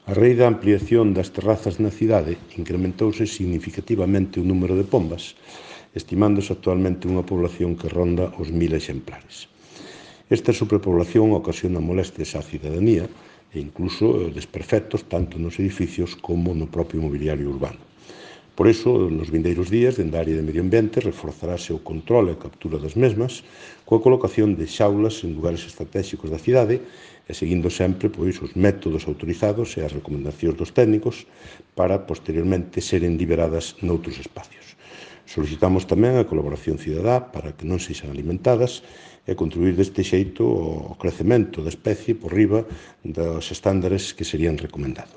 A raíz da ampliación das terrazas na cidade, incrementouse significativamente o número de pombas, estimándose actualmente unha población que ronda os 1000 exemplares. Esta superpoblación ocasiona molestias á cidadanía e incluso desperfectos tanto nos edificios como no propio mobiliario urbano. Por iso, nos vindeiros días, dende a área de medio ambiente, reforzarase o control e a captura das mesmas coa colocación de xaulas en lugares estratégicos da cidade e seguindo sempre os métodos autorizados e as recomendacións dos técnicos para, posteriormente, seren liberadas noutros espacios. Solicitamos tamén a colaboración cidadá para que non sexan alimentadas e contribuir deste xeito ao crecemento da especie por riba dos estándares que serían recomendados.